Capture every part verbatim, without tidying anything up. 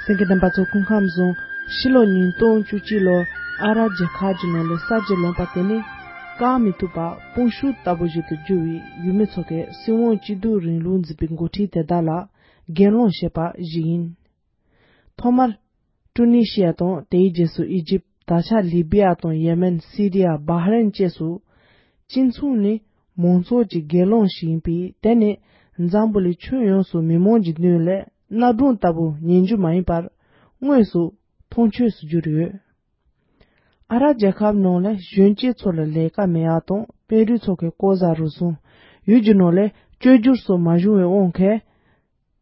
གསན་མཁན་རྣམ་པ་ཚོ། སྐུ་ཁམས་བཟང་། ཕྱི་ལོ་ཉིས་སྟོང་བཅུ་གཅིག་ལོར་ཨ་རབ་རྒྱལ་ཁབ་ཀྱི་ནང་ལ་གསར་བརྗེ་ལངས་པ་དེ་ནི་བཀག་མི་ཐུབ་པ་དཔུང་ཤུགས་ལྟ་བུ་ཞིག་ཏུ་གྱུར་བའི་ཡུལ་མི་ཚོ་གིས་སྲིད་དབང་སྐྱིད་སྡུག་རིང་ལུགས་འཛིན་པའི་འགོ་ཁྲིད་དེ་དག་ལ་གྱེན་ལངས་བྱས་པ་ཞིག་ཡིན། ཐོག་མར་ཀྲུ་ནི་ཤི་ཡ་དང་དེའི་རྗེས་སུ་ཨི་ཇིབ། ད་ཆ་ལི་བི་ཡ་དང་ཡེ་མེན། སི་རི་ཡ། བྷ་ཧ་རན་བཅས་སུ། སྤྱི་མཚུངས་ནི་མང་ཚོགས་ཀྱི་གྱེན་ལངས་ཤིག་ཡིན་པས། དེ་ནི་འཛམ་བུ་གླིང་ཁྱོན་ཡོངས་སུ་མི་མང་གི་མདུན་ལས་གནའ་སྒྲུང་ལྟ་བུ་ཉན་རྒྱུ་མ་ཡིན་པར་དངོས་སུ་མཐོང་ཆོས་སུ་གྱུར་ཡོད། ཨ་རབ་རྒྱལ་ཁབ་ནང་ལ་གཞོན་སྐྱེས་ཚོ་ལ་ལས་ཀ་མེད་ཡག་དང་དཔོན་རིགས་ཚོ་གི་ལྐོག་ཟ་རུལ་སུངས། ཡུལ་གྱི་ནང་ལ་བཅོས་བསྒྱུར་སོགས་མ་བྱུང་བའི་དབང་གིས།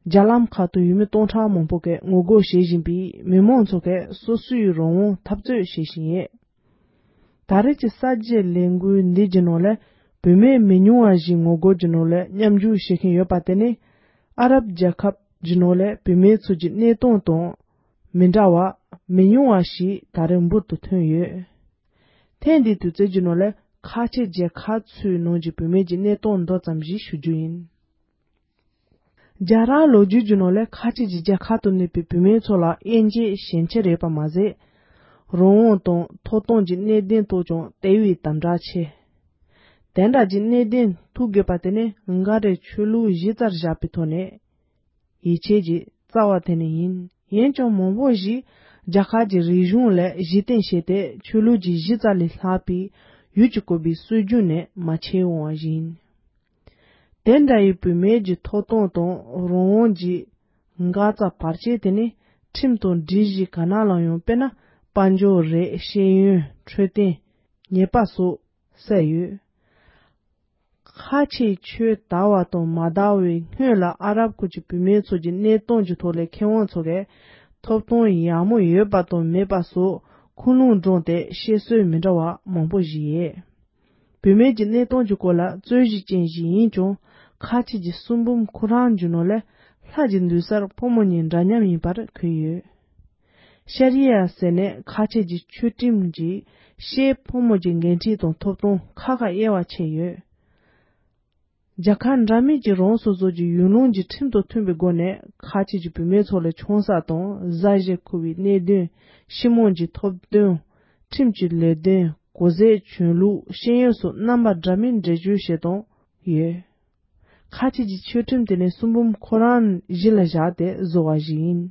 རྒྱ་ལམ་ཁག་ཏུ་ཡུལ་མི་སྟོང་ཕྲག་མང་པོ་གིས་ངོ་རྒོལ་བྱེད་བཞིན་པས། མི་མང་ཚོ་གིས་སོ་སོའི་རང་དབང་འཐབ་རྩོད་བྱེད་བཞིན་ཡོད། ད་རེས་ཀྱི་གསར་བརྗེའི་ལས་འགུལ་འདི་གྱི་ནང་ལ་བུད་མེད་མི་ཉུང་བ་ཞིག་ངོ་རྒོལ་གྱི་ནང་ལ་མཉམ་ཞུགས་བྱེད་མཁན་ཡོད་པ་དེ་ནི། ཨ་རབ་རྒྱལ་ཁབ་ཀྱི་ནང་ལ་བུད་མེད་ཚོ་གྱི་གནས་སྟངས་དང་མི་འདྲ་བ་མི་ཉུང་བ་ཞིག་ད་རེས་འབུར་དུ་ཐོན་ཡོད། ཐེངས་འདིའི་དུས་ཚོད་ཀྱི་ནང་ལ་ཁ་ཆེ་རྒྱལ་ཁབ་ཚོའི་ནང་གི་བུད་མེད་ཀྱི་གནས་སྟངས་མདོ་ཙམ་ཞིག་ཞུ་རྒྱུ་ཡིན། རྒྱ་རང་ལོ་རྒྱུས་ཀྱི་ནང་ལ་ཁ་ཆེ་གྱི་རྒྱལ་ཁབ་ཏུ་གནས་པའི་བུད་མེད་ཚོ་ལ་དབྱེ་འབྱེད་ཞན་ཆ་རེད་པ་མ་ཟད། རང་དབང་དང་ཐོབ་ཐང་གི་གནད་དོན་ཐོག་ཀྱང་དེ་བས་དམ་དྲག་ཆེ། དེ་འདྲ་གྱི་གནད་དོན་ཐུག་དགོས་པ་དེ་ནི་འགའ་རེ་ཆོས་ལུགས་གཞི་རྩར་བཞག་པའི་ཐོག་ནས་ཡིད་ཆེས་ཀྱི་རྩ་བ་དེ་ནི་ཡིན། ཡིན་ཀྱང་མང་པོ་ཞིག་རྒྱ་གར་གྱི་རིག་གཞུང་ལ་གཞི་རྟེན་བྱས་ཏེ་ཆོས་ལུགས་ཀྱི་གཞི་རྩ་ལས་ལྷག་པའི་ཡུལ་གྱི་བཀོད་པའི་སྲོལ་རྒྱུན་ནི་མ་ཁྱེར་འོང་བ་ཞིག་ཡིན། དེ་འདྲ་ཡི་བུད་མེད་ཀྱི་ཐོབ་ཐང་དང་རང་དབང་གི་འགག་རྩ་བར་ཆད་དེ་ནི་ཁྲིམས་དང་སྒྲིག་གཞི་ག་ན་ལ་ཡང་། དཔེར་ན་དཔལ་འབྱོར་རེད། ཤེས་ཡོན། འཕྲོད་བསྟེན། ཉེས་པ་སོགས་གསལ་ཡོད། ཁ་ཆེའི་ཆོས་དར་བ་དང་མ་དར་བའི་སྔོན་ལ་ཨ་རབ་ཁུལ་གྱི་བུད་མེད་ཚོ་གྱི་གནས་སྟངས་ཀྱི་ཐོག་ལ་མཁས་དབང་ཚོ་གིས་ཐོབ་ཐང་ཡག་མོ་ཡོད་པ་དང་མེད་པ་སོགས་ཁུངས་ལུང་དྲངས་ཏེ་བཤད་སྲོལ་མི་འདྲ་བ་མང་པོ་ཞིག་ཡོད། བུད་མེད་ཀྱི་གནས་སྟངས་ཀྱི་སྐོར་ལ་རྩོད་གཞི་ཅན་ཞིག་ཡིན་ཀྱང་། ཁ་ཆེ་གྱི་གསུང་འབུམ་ཁོ་རང་གི་ནང་ལ་ལྷ་གྱི་འདུན་སར་ཕོ་མོ་གཉིས་འདྲ་མཉམ་ཡིན་པར་འཁོད་ཡོད། ཤ་རི་ཡ་ཟེར་ནས་ཁ་ཆེ་གྱི་ཆོས་ཁྲིམས་ཀྱིས་ཤའི་ཕོ་མོ་གྱི་འགན་འཁྲི་དང་ཐོབ་ཐང་ཁ་ཁ་དབྱེ་བ་ཕྱེ་ཡོད། རྒྱལ་ཁབ་འདྲ་མིན་གྱི་རང་སོ་སོ་གྱི་ཡུལ་ལུང་གི་ཁྲིམས་དང་མཐུན་པའི་སྒོ་ནས་ཁ་ཆེ་གྱི་བུད་མེད་ཚོ་ལ་ཆང་ས་དང་བཟའ་བཞེས་འཁུར་བའི་གནད་དོན། ཤི་མོང་གི་ཐོབ་དོན། ཁྲིམས་ཀྱི་ལས་དོན། གོ་ཟས། གྱོན་ལུགས། ཤེས་ཡོན་སོགས་རྣམ་པ་འདྲ་མིན་འགྲེལ་བརྗོད་བྱེད་སྟངས་ཡོད། ཁ་ཆེ་གྱི་ཆོས་ཁྲིམས་དེ་ནི་གསུང་འབུམ་ཁོ་རང་གཞི་ལ་བཞག་སྟེ་བཟོ་བ་ཞིག་ཡིན།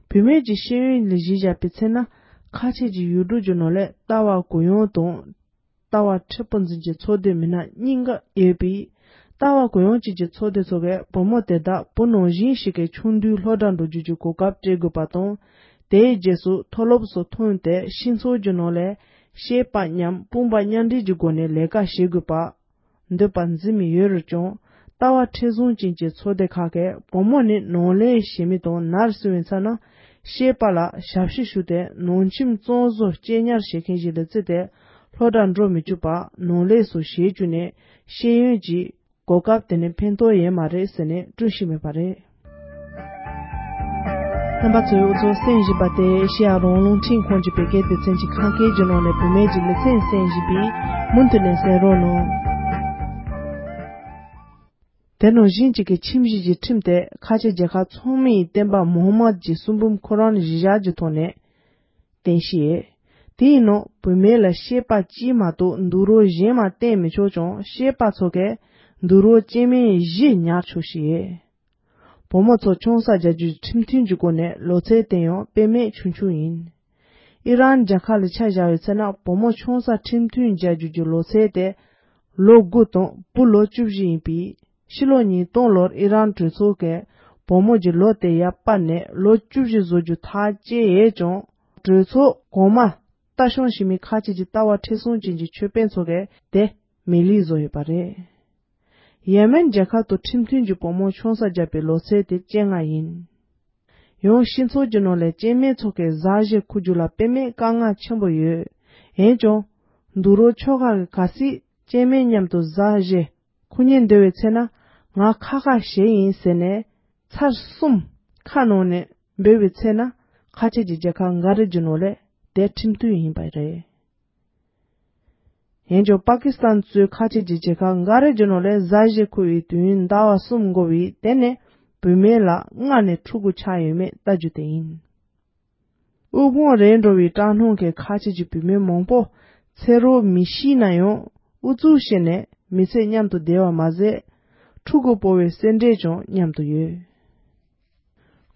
བུད་མེད་ཀྱི་ཤེས་ཡོན་ལ་གཞི་བཞག་པའི་ཚེ་ན། ཁ་ཆེ་གྱི་ཡུལ་གྲུ་གྱི་ནང་ལ་ལྟ་བ་གུ་ཡངས་དང་། ལྟ་བ་མཁྲེགས་པོ་འཛིན་གྱི་ཚོགས་སྡེ་མི་སྣ་གཉིས་ཀ་ཡོད་པས། ལྟ་བ་གུ་ཡངས་ཅན་གྱི་ཚོགས་སྡེ་ཚོ་གིས་བུ་མོ་དེ་དག་བུ་ནང་བཞིན་ཞིག་གི་ཆུང་དུས་སློབ་གྲྭར་འགྲོ་རྒྱུ་གྱི་གོ་སྐབས་སྤྲད་དགོས་པ་དང་། དེའི་རྗེས་སུ་མཐོ་སློབ་སོགས་ཐོན་ཏེ་སྤྱི་ཚོགས་ཀྱི་ནང་ལ་སྐྱེས་པ་མཉམ་དཔུང་པ་མཉམ་འབྲེལ་གྱི་སྒོ་ནས་ལས་ཀ་བྱེད་དགོས་པ། འདོད་པ་འཛིན་མི་ཡོད་རུང་ཀྱང་། ལྟ་བ་མཁྲེགས་བཟུང་ཅན་གྱི་ཚོགས་སྡེ་ཁག་གིས་བུ་མོ་ནི་ནང་ལས་བྱེད་མི་དང་ནར་སོན་པའི་ཚེ་ན་སྐྱེས་པ་ལ་ཞབས་ཕྱི་ཞུ་སྟེ་ནང་ཁྱིམ་གཙང་བཟོ་གཅེས་ཉར་བྱེད་མཁན་ཞིག་ལ་བརྩིས་ཏེ་སློབ་གྲྭར་འགྲོ་མི་བཅུག་པར་ནང་ལས་སུ་བྱེད་བཅུག་ནས་ཤེས་ཡོན་གྱི་གོ་སྐབས་དེ་ནི་ཕན་ཐོགས་ཡོད་མ་རེད་ཟེར་ནས་བསྐྲུན་བཞིན་མེད་པ་རེད། རྣམ་པ་ཚོས་འུ་ཚོ་གསན་བཞིན་པ་དེ་ཨེ་ཤེ་ཡ་རང་དབང་རླུང་འཕྲིན་ཁང་གི་བོད་སྐད་སྡེ་ཚན་གྱི་ཁམས་སྐད་ཀྱི་ནང་ནས་བུད་མེད་ཀྱི་ལེ་ཚན་གསན་བཞིན་པས་མུ་མཐུད་ནས་གསན་རོགས་གནང་། དེ་ནང་བཞིན་གཅིག་གི་ཁྱིམ་གཞིས་ཀྱི་ཁྲིམས་དེ་ཁ་ཆེ་རྒྱལ་ཁབ་ཚང་མའི་བསྟན་པ་མུ་ཧམ་མད་ཀྱི་གསུང་འབུམ་ཁོ་རང་གཞི་བཞག་གི་ཐོག་ནས་བསྟན་བཤིག་ཡོད། དེའི་ནང་བུད་མེད་ལ་སྐྱེས་པ་གཅིག་མ་གཏོགས་འདུག་རོགས་གཞན་མ་བསྟེན་མི་ཆོག་ཀྱང་སྐྱེས་པ་ཚོ་གས་འདུག་རོགས་སྐྱེས་དམན་བཞི་ཉར་ཆོག་བཤིག་ཡོད། བུ་མོ་ཚོ་ཆང་ས་རྒྱག་རྒྱུའི་ཁྲིམས་མཐུན་གྱི་སྒོ་ནས་ལོ་ཚད་དེ་ཡང་དཔེ་མེད་ཆུང་ཆུང་ཡིན། ཨི་རན་རྒྱལ་ཁབ་ལ་ཆ་བཞག་པའི་ཚེ་ན་བུ་མོ་ཆང་ས་ཁྲིམས་མཐུན་རྒྱག་རྒྱུ་གྱི་ལོ་ཚད་དེ་ལོ་དགུ་དང་བུ་ལོ་བཅུ་བཞི་ཡིན་པས། ཕྱི་ལོ་ཉིས་སྟོང་ལོར་ཨི་རན་གྲོས་ཚོགས་ཀྱིས་བུ་མོ་གྱི་ལོ་དེ་ཡར་སྤར་ནས་ལོ་བཅུ་བཞི་བཟོ་རྒྱུ་ཐག་བཅད་ཡོད་ཀྱང་། གྲོས་ཚོགས་གོང་མ་ལྟ་སྐྱོང་བྱེད་མི་ཁག་ཅིག་གི་ལྟ་བ་མཁྲེགས་བཟུང་ཅན་གྱི་ཆོས་དཔོན་ཚོ་གིས་དེ་མེད་ལུགས་བཟོ་ཡོད་པ་རེད། ཡེ་མེན་རྒྱལ་ཁབ་ཏུ་ཁྲིམས་མཐུན་གྱི་བུ་མོ་ཆང་ས་བརྒྱབ་པའི་ལོ་ཚད་དེ་བཅོ་ལྔ་ཡིན། ཡང་སྤྱི་ཚོགས་ཀྱི་ནང་ལས་སྐྱེས་དམན་ཚོ་གིས་བཟའ་བཞེས་འཁུར་རྒྱུ་ལ་དཔེ་མེད་དཀའ་ངལ་ཆེན་པོ་ཡོད། འོན་ཀྱང་། འདུག་རོགས་ཆོག་ཁག་གིས་གལ་སྲིད་སྐྱེས་དམན་མཉམ་དུ་བཟའ་བཞེས་འཁུར་སྙིང་འདོད་པའི་ཚེ་ན་ང་ཁ་ཁ་བཞེས་ཡིན་ཟེར་ནས་ཚར་གསུམ་ཁ་ནང་ནས་འབོད་པའི་ཚེ་ན་ཁ་ཆེ་གྱི་རྒྱལ་ཁབ་འགའ་རེ་གྱི་ནང་ལས་དེ་ཁྲིམས་མཐུན་ཡིན་པ་རེད། འོན་ཀྱང་པ་ཀི་སི་ཐན་གཙོས་ཁ་ཆེ་གྱི་རྒྱལ་ཁབ་འགའ་རེ་གྱི་ནང་ལས་བཟའ་བཞེས་འཁུར་བའི་དུས་ཡུན་ཟླ་བ་གསུམ་འགོར་བས་དེ་ནི་ བུད་མེད་ལ་སྔར་ནས་ཕྲུ་གུ་ཆགས་ཡོད་མེད་ལྟ་རྒྱུ་དེ་ཡིན། དབུལ་ཕོངས་རེད་འགྲོ་བའི་སྐྲག་སྣང་གིས་ཁ་ཆེ་གྱི་བུད་མེད་མང་པོ་ཚེ་རོགས་མི་ཤེས་ན་ཡང་ཨུ་ཚུགས་བྱས་ནས་མི་ཚེ་མཉམ་དུ་བསྡད་པ་མ་ཟད། ཕྲུ་གུ་སྤོ་བའི་སེམས་ཁྲལ་ཀྱང་མཉམ་དུ་ཡོད།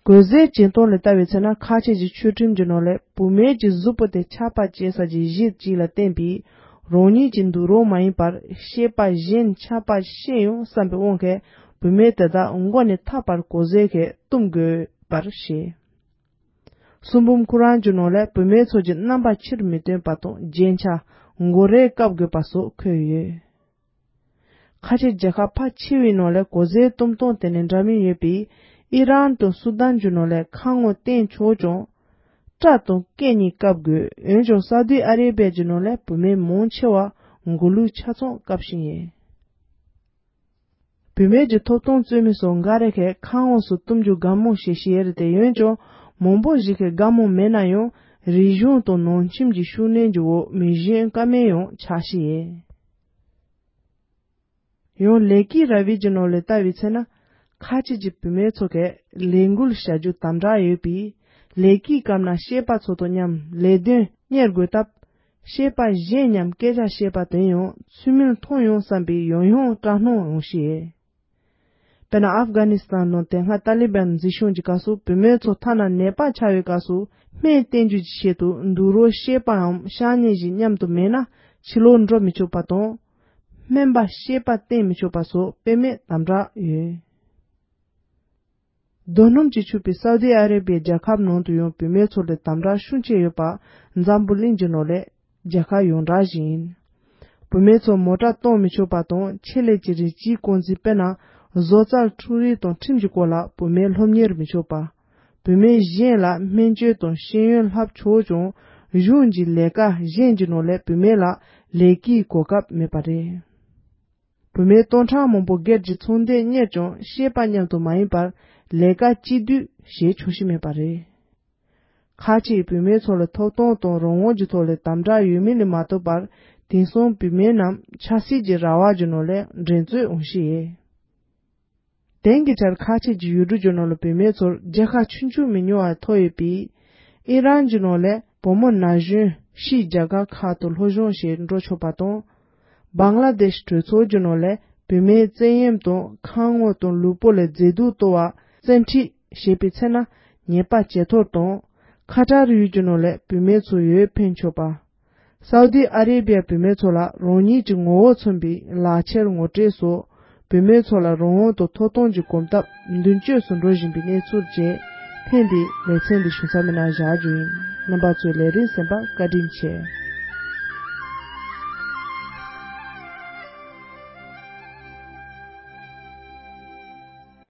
གོས་ཟས་སྦྱིན་གཏོང་ལ་ལྟ་བའི་ཚེ་ན་ཁ་ཆེ་གྱི་ཆོས་ཁྲིམས་ཀྱི་ནང་ལས་བུད་མེད་ཀྱི་གཟུགས་པོ་དེ་ཆགས་པ་སྐྱེ་ས་ཀྱི་གཞི་གཅིག་ལ་བརྟེན་པའི་རང་ཉིད་ཀྱི་འདུག་རོགས་མ་ཡིན་པར་སྐྱེས་པ་གཞན་ཆགས་པ་སྐྱེ་ཡོང་བསམ་པའི་དབང་གིས་བུད་མེད་དེ་དག་མགོ་ནས་ཐག་པར་གོས་ཟས་ཀྱིས་བཏུམ་དགོས་པར་བཤད། གསུང་འབུམ་ཁོ་རང་གི་ནང་ལས་བུད་མེད་ཚོ་གྱི་རྣམ་པ་ཕྱིར་མི་སྟོན་པ་དང་རྒྱན་ཆ་མགོ་རས་བཀབ་དགོས་པ་སོགས་འཁོད་ཡོད། ཁ་ཆེ་རྒྱལ་ཁབ་ཕལ་ཆེ་བའི་ནང་ལས་གོས་ཟས་བཏུམ་སྟངས་དེ་ནས་འདྲ་མིན་ཡོད་པས། ཨི་རན་དང་སུ་དཱན་གྱི་ནང་ལས་ཁ་ངོ་བསྟན་ཆོག་ཀྱང་། སྐྲ་དང་སྐེ་གཉིས་བཀབ་དགོས། འོན་ཀྱང་སའུ་དི་ཨ་རེ་བྷི་ཡ་གྱི་ནང་ལས་བུད་མེད་མང་ཆེ་བ་མགོ་ལུས་ཆ་ཚང་བཀབ་བཞིན་ཡོད། བུད་མེད་ཀྱི་ཐོབ་ཐང་རྩོད་མི་སོགས་འགའ་རེ་གིས་ཁ་ངོ་སུ་བཏུམ་རྒྱུ་དགའ་མོ་བྱེད་བཞིན་ཡོད་རེད་དེ། འོན་ཀྱང་མང་པོ་ཞིག་གིས་དགའ་མོ་མེད་ན་ཡང་རིག་གཞུང་དང་ནང་ཁྱིམ་གྱི་ཤུགས་སྣོན་གྱི་འོག་མི་གཞན་ཀ་མེད་ཡང་ཆགས་བཞིན་ཡོད། ཡང་ལས་ཀའི་ར་བའི་རྒྱུ་ནོར་ལ་ལྟ་བའི་ཚེ་ན། ཁ་ཆེ་གྱི་བུད་མེད་ཚོ་གས་ལས་འགུལ་བྱ་རྒྱུ་དམ་དྲག་ཡོད་པས། ལས་ཀའི་སྐབས་ན་སྐྱེས་པ་ཚོ་དང་མཉམ་ལས་དོན་གཉེར་དགོས་སྟབས། སྐྱེས་པ་གཞན་མཉམ་སྐད་ཆ་བཤད་པ་དེ་ཡང་ཚུལ་མིན་མཐོང་ཡོང་བསམ་པའི་ཡང་ཡང་སྐྲག་སྣང་ཡོང་བཞིན་ཡོད། དཔེར་ན་ཨབ་གྷ་ནི་སི་ཐན་ནང་དེ་སྔ་ཏཱ་ལི་བན་འཛིན་སྐྱོང་གྱི་སྐབས་སུ་བུད་མེད་ཚོ་ཐ་ན་ནད་པ་ཆགས་པའི་སྐབས་སུ་སྨན་བསྟེན་རྒྱུ་གྱི་ཆེད་དུ་འདུག་རོགས་སྐྱེས་པའམ་ཤ་ཉེ་ཞིག་མཉམ་དུ་མེད་ན་ཕྱི་ལོགས་འགྲོ་མི་ཆོག་པ་དང་། སྨན་པ་སྐྱེས་པ་བསྟེན་མི་ཆོག་པ་སོགས་དཔེ་མེད་དམ་དྲག་ཡོད། རྡོ་སྣུམ་གྱིས་ཕྱུག་པའི་སའུ་དི་ཨ་རེ་བྷི་ཡའི་རྒྱལ་ཁབ་ནང་དུ་ཡང་བུད་མེད་ཚོ་ལ་དམ་དྲག་ཤུགས་ཆེ་ཡོད་པ་འཛམ་བུ་གླིང་གི་ནང་ལས་རྒྱལ་ཁབ་ཡོངས་གྲགས་ཤིག་ཡིན། བུད་མེད་ཚོ་མོ་ཊ་གཏོང་མི་ཆོག་པ་དང་ཆེད་ལས་ཀྱི་རིགས་གཅིག་རྐང་འཛིན་དཔེར་ན་བཟོ་རྩལ་འཕྲུལ་རིག་དང་ཁྲིམས་ཀྱི་སྐོར་ལ་བུད་མེད་སློབ་གཉེར་མི་ཆོག་པ། བུད་མེད་གཞན་ལ་སྨན་བཅོས་དང་ཤེས་ཡོན་བསླབ་ཆོག་ཀྱང་གཞུང་གི་ལས་ཀ་གཞན་གྱི་ནང་ལས་བུད་མེད་ལ་ལས་ཀའི་གོ་སྐབས་མེད་པ་རེད། བུད་མེད་སྟོང་ཕྲག་མང་པོ་སྒེར་གྱི་ཚོང་སྡེ་གཉེར་ཀྱང་སྐྱེས་པ་མཉམ་དུ་མ་ཡིན་པར་ལས་ཀ་གཅིག་སྡུད་བྱེད་ཆོག་ཤེས་མེད་པ་རེད། ཁ་ཆེའི་བུད་མེད་ཚོ་ལ་ཐོབ་ཐང་དང་རང་དབང་གི་ཐོག་ལས་དམ་དྲག་ཡོད་མིན་ལས་མ་གཏོགས་པར་དེང་སང་བུད་མེད་རྣམས་ཆབ་སྲིད་ཀྱི་ར་བ་གྱི་ནང་ལས་འགྲན་རྩོད་འོང་ཤེས་ཡོད། དེང་གི་ཆར་ཁ་ཆེ་གྱི་ཡུལ་གྲུ་གྱི་ནང་ལ་བུད་མེད་ཚོར་རྒྱལ་ཁ་ཆུང་ཆུང་མི་ཉུང་བ་ཐོབ་ཡོད་པས། ཨི་རན་གྱི་ནང་ལས་བུ་མོ་ན་གཞོན་ཕྱིའི་རྒྱལ་ཁབ་ཁག་ཏུ་སློབ་སྦྱོང་བྱེད་འགྲོ་ཆོག་པ་དང་། བང་ལ་དེཤ་གྲོས་ཚོགས་ཀྱི་ནང་ལས་བུད་མེད་བཙན་གཡེམ་དང་ཁ་ངོ་དང་ལུས་པོ་ལ་མཛེས་སྡུག་གཏོར་བ་བཙན་ཁྲིད་བྱེད་པའི་ཚེ་ན་ཉེས་པ་ཇེ་མཐོར་དང་། ཁ་ཏར་ཡུལ་གྱི་ནང་ལས་བུད་མེད་ཚོ་ཡོད་ཕན་ཆོག་པ། སའུ་དི་ཨ་རེ་བྷི་ཡ་བུད་མེད་ཚོ་ལ་རང་ཉིད་ཀྱི་ངོ་བོ་མཚོན་པའི་ལག་ཁྱེར་ངོ་སྤྲོད་སོགས་བུད་མེད་ཚོ་ལ་རང་དབང་དང་ཐོབ་ཐང་གི་གོམ་སྟབས་མདུན་སྐྱོད་སུ་འགྲོ་བཞིན་པའི་གནས་ཚུལ་བཅས་ཐེངས་འདིའི་ལེ་ཚན་འདི་ཞུ་མཚམས་མེད་ན་བཞག་རྒྱུ་ཡིན། རྣམ་པ་ཚོས་ལས་རིམ་གསན་པར་བཀའ་དྲིན་ཆེ།